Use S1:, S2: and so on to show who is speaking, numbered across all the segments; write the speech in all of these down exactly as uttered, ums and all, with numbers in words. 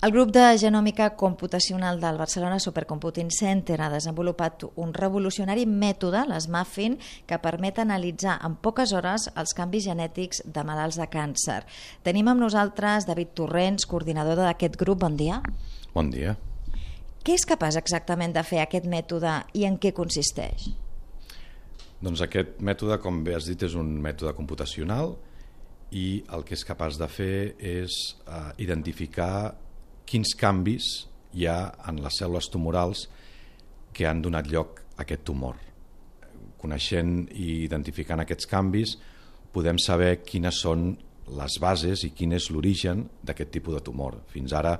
S1: El grup de genòmica computacional del Barcelona Supercomputing Center ha desenvolupat un revolucionari mètode, l'SMAFFIN, que permet analitzar en poques hores els canvis genètics de malalts de càncer. Tenim amb nosaltres David Torrents, coordinador d'aquest grup. Bon dia.
S2: Bon dia.
S1: Què és capaç exactament de fer aquest mètode i en què consisteix?
S2: Doncs aquest mètode, com bé has dit, és un mètode computacional i el que és capaç de fer és eh, identificar quins canvis hi ha en les cèl·lules tumorals que han donat lloc a aquest tumor. Coneixent i identificant aquests canvis, podem saber quines són les bases i quin és l'origen d'aquest tipus de tumor. Fins ara,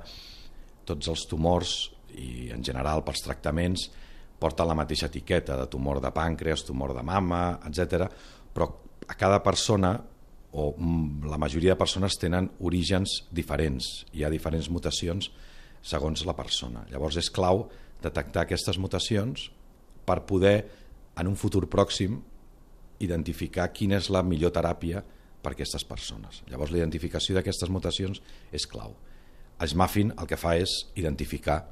S2: tots els tumors, i en general pels tractaments, porten la mateixa etiqueta de tumor de pàncreas, tumor de mama, etcètera, però a cada persona, o la majoria de persones, tenen orígens diferents. Hi ha diferents mutacions segons la persona. Llavors és clau detectar aquestes mutacions per poder, en un futur pròxim, identificar quina és la millor teràpia per a aquestes persones. Llavors la identificació d'aquestes mutacions és clau. El SMAFFIN el que fa és identificar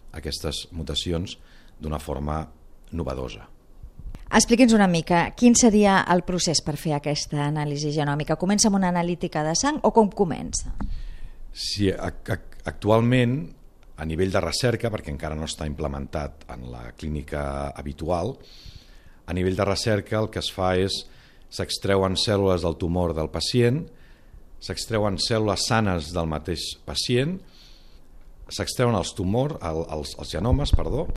S2: aquestes mutacions d'una forma novedosa.
S1: Expliqui'ns una mica, quin seria el procés per fer aquesta anàlisi genòmica? Comença amb una analítica de sang o com comença?
S2: Sí, actualment, a nivell de recerca, perquè encara no està implementat en la clínica habitual, a nivell de recerca el que es fa és s'extreuen cèl·lules del tumor del pacient, s'extreuen cèl·lules sanes del mateix pacient, s'extreuen els tumors, els, els genomes, perdó,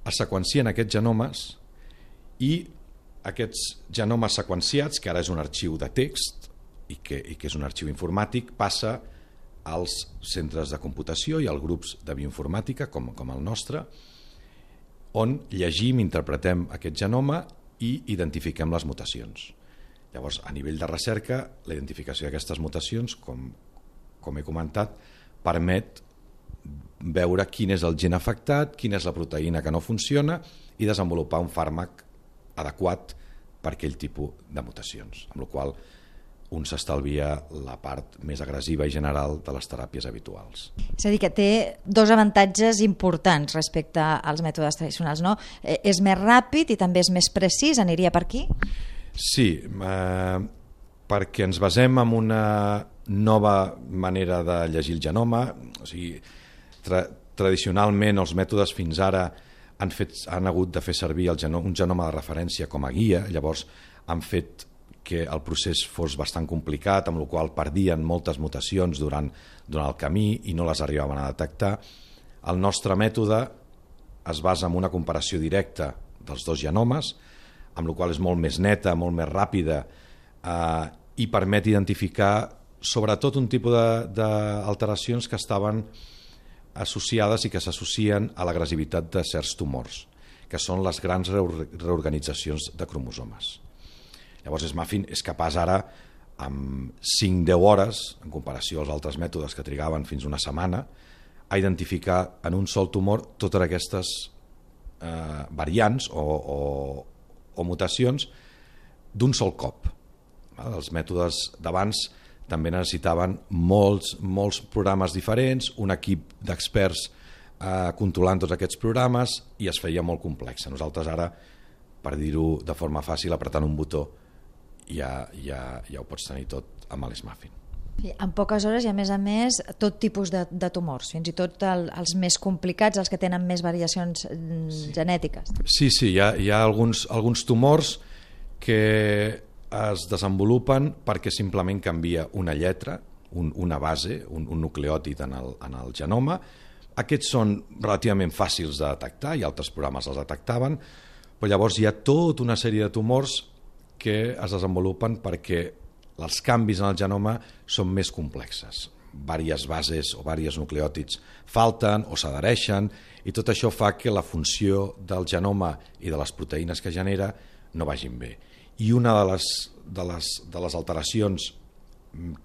S2: es seqüencien aquests genomes i aquests genomes seqüenciats, que ara és un arxiu de text i que, i que és un arxiu informàtic, passa als centres de computació i als grups de bioinformàtica, com, com el nostre, on llegim, interpretem aquest genoma i identifiquem les mutacions. Llavors, a nivell de recerca, la identificació d'aquestes mutacions, com, com he comentat, permet veure quin és el gen afectat, quina és la proteïna que no funciona i desenvolupar un fàrmac adequat per aquell tipus de mutacions, amb la qual un s'estalvia la part més agressiva i general de les teràpies habituals.
S1: És a dir, que té dos avantatges importants respecte als mètodes tradicionals, no? És més ràpid i també és més precís, aniria per aquí?
S2: Sí, eh, perquè ens basem en una nova manera de llegir el genoma. O sigui, tra tradicionalment els mètodes fins ara han, fet, han hagut de fer servir el genoma, un genoma de referència com a guia, llavors han fet que el procés fos bastant complicat, amb la qual perdien moltes mutacions durant, durant el camí i no les arribaven a detectar. El nostre mètode es basa en una comparació directa dels dos genomes, amb la qual és molt més neta, molt més ràpida eh, i permet identificar sobretot un tipus d'alteracions que estaven associades i que s'associen a l'agressivitat de certs tumors, que són les grans reorganitzacions de cromosomes. Llavors SMAFFIN és capaç ara, amb cinc a deu hores, en comparació als altres mètodes que trigaven fins una setmana, a identificar en un sol tumor totes aquestes eh, variants o, o, o mutacions d'un sol cop. Els mètodes d'abans també necessitaven molts, molts programes diferents, un equip d'experts eh, controlant tots aquests programes i es feia molt complex. Nosaltres ara, per dir-ho de forma fàcil, apretant un botó ja, ja, ja ho pots tenir tot amb l'SMAFFIN.
S1: Sí, en poques hores i a més a més tot tipus de, de tumors, fins i tot el, els més complicats, els que tenen més variacions sí. genètiques.
S2: Sí, sí, hi ha, hi ha alguns, alguns tumors que es desenvolupen perquè simplement canvia una lletra, un, una base, un, un nucleòtid en el, en el genoma. Aquests són relativament fàcils de detectar i altres programes els detectaven, però llavors hi ha tota una sèrie de tumors que es desenvolupen perquè els canvis en el genoma són més complexes. Vàries bases o vàries nucleòtids falten o s'adhereixen i tot això fa que la funció del genoma i de les proteïnes que genera no vagin bé. I una de les, de les, de les alteracions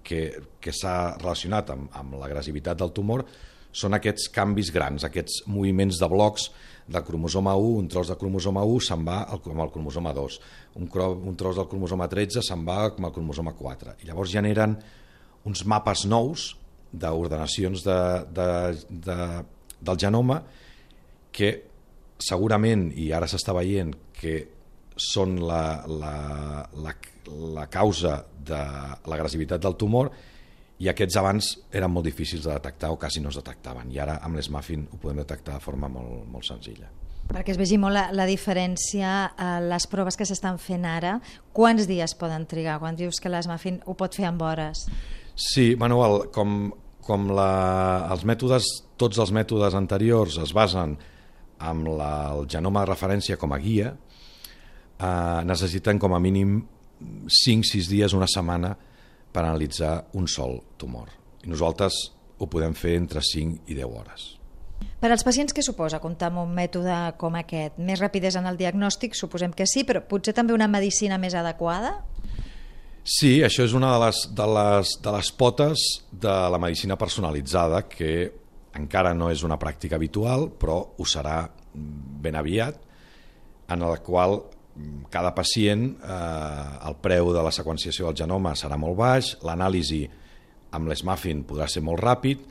S2: que, que s'ha relacionat amb, amb l'agressivitat del tumor són aquests canvis grans, aquests moviments de blocs del cromosoma u, un tros del cromosoma u se'n va amb el cromosoma dos, un, un tros del cromosoma tretze se'n va amb el cromosoma quatre. I llavors generen uns mapes nous d'ordenacions de, de, de, del genoma que segurament, i ara s'està veient, que són la, la, la, la causa de l'agressivitat del tumor, i aquests abans eren molt difícils de detectar o quasi no es detectaven, i ara amb l'S-Muffin ho podem detectar de forma molt, molt senzilla.
S1: Perquè es vegi molt la, la diferència, eh, les proves que s'estan fent ara, quants dies poden trigar? Quan dius que l'S-Muffin ho pot fer en hores?
S2: Sí, Manuel, com, com la, els mètodes, tots els mètodes anteriors es basen amb la, el genoma de referència com a guia, eh, necessiten com a mínim cinc sis dies, una setmana, per analitzar un sol tumor. I nosaltres ho podem fer entre cinc i deu hores.
S1: Per als pacients, què suposa comptar amb un mètode com aquest? Més rapidesa en el diagnòstic, suposem que sí, però potser també una medicina més adequada?
S2: Sí, això és una de les, de les, de les potes de la medicina personalitzada, que encara no és una pràctica habitual, però ho serà ben aviat, en la qual cada pacient, eh, el preu de la seqüenciació del genoma serà molt baix, l'anàlisi amb l'S-Muffin podrà ser molt ràpid,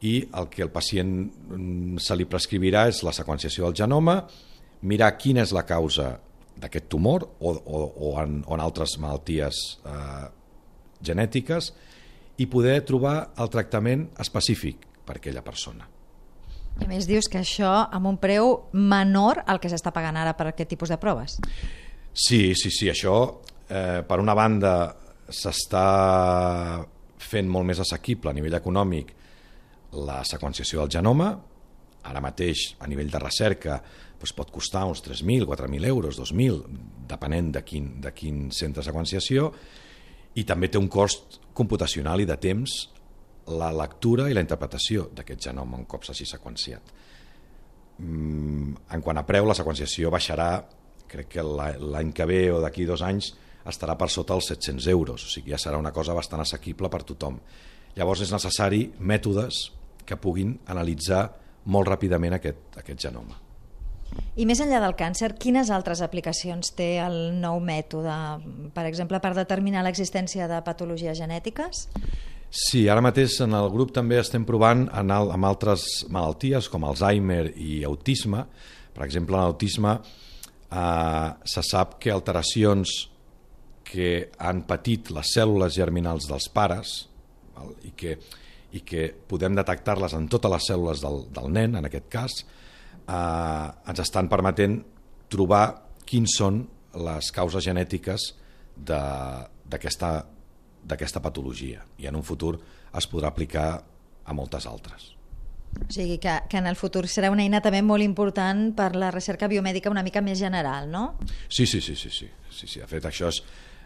S2: i el que el pacient se li prescrivirà és la seqüenciació del genoma, mirar quina és la causa d'aquest tumor o, o, o, en, o en altres malalties eh, genètiques, i poder trobar el tractament específic per a aquella persona.
S1: I a més dius que això amb un preu menor al que s'està pagant ara per aquest tipus de proves.
S2: Sí, sí, sí, això eh, per una banda s'està fent molt més assequible a nivell econòmic la seqüenciació del genoma. Ara mateix a nivell de recerca doncs pot costar uns tres mil, quatre mil euros, dos mil, depenent de quin, de quin centre de seqüenciació, i també té un cost computacional i de temps la lectura i la interpretació d'aquest genoma un cop s'hagi seqüenciat. En quant a preu, la seqüenciació baixarà, crec que l'any que ve o d'aquí dos anys estarà per sota els set-cents euros, o sigui, ja serà una cosa bastant assequible per tothom. Llavors és necessari mètodes que puguin analitzar molt ràpidament aquest, aquest genoma.
S1: I més enllà del càncer, quines altres aplicacions té el nou mètode? Per exemple, per determinar l'existència de patologies genètiques?
S2: Sí, ara mateix en el grup també estem provant en el, amb altres malalties com Alzheimer i autisme. Per exemple, en l'autisme eh, se sap que alteracions que han patit les cèl·lules germinals dels pares val, i, que, i que podem detectar-les en totes les cèl·lules del, del nen, en aquest cas, eh, ens estan permetent trobar quins són les causes genètiques d'aquesta d'aquesta patologia, i en un futur es podrà aplicar a moltes altres.
S1: O sigui que, que en el futur serà una eina també molt important per la recerca biomèdica una mica més general, no?
S2: Sí, sí, sí, sí, sí. sí, sí. De fet, això és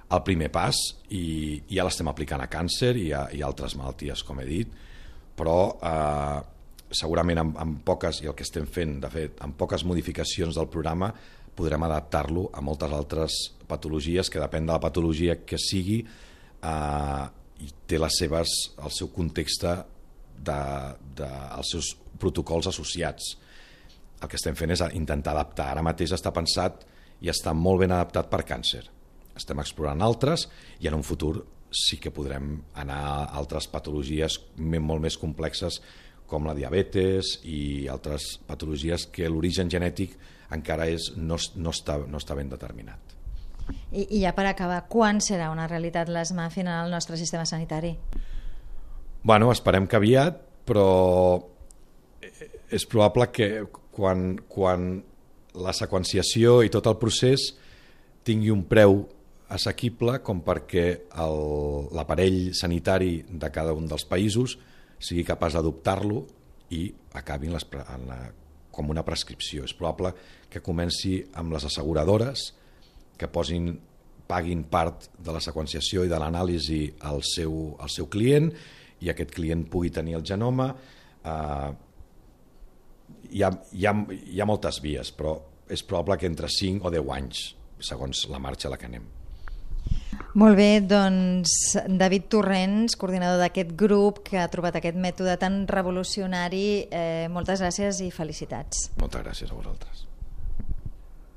S2: el primer pas i, i ja l'estem aplicant a càncer i a, i a altres malalties, com he dit, però eh, segurament amb, amb poques, i el que estem fent, de fet, amb poques modificacions del programa, podrem adaptar-lo a moltes altres patologies que depèn de la patologia que sigui, Uh, i té les seves, el seu context de, de, els seus protocols associats. El que estem fent és intentar adaptar. Ara mateix està pensat i està molt ben adaptat per càncer. Estem explorant altres i en un futur sí que podrem anar a altres patologies molt més complexes com la diabetes i altres patologies que l'origen genètic encara és, no, no, està, no està ben determinat.
S1: I, I ja per acabar, quan serà una realitat l'S-Muffin en el nostre sistema sanitari?
S2: Bueno, esperem que aviat, però és probable que quan, quan la seqüenciació i tot el procés tingui un preu assequible com perquè l'aparell sanitari de cada un dels països sigui capaç d'adoptar-lo i acabi en les, en la, com una prescripció. És probable que comenci amb les asseguradores que posin, paguin part de la seqüenciació i de l'anàlisi al seu, al seu client i aquest client pugui tenir el genoma. Eh, hi, ha, hi, ha, hi ha moltes vies, però és probable que entre cinc o deu anys, segons la marxa a la que anem.
S1: Molt bé, doncs David Torrents, coordinador d'aquest grup que ha trobat aquest mètode tan revolucionari, eh, moltes gràcies i felicitats.
S2: Moltes gràcies a vosaltres.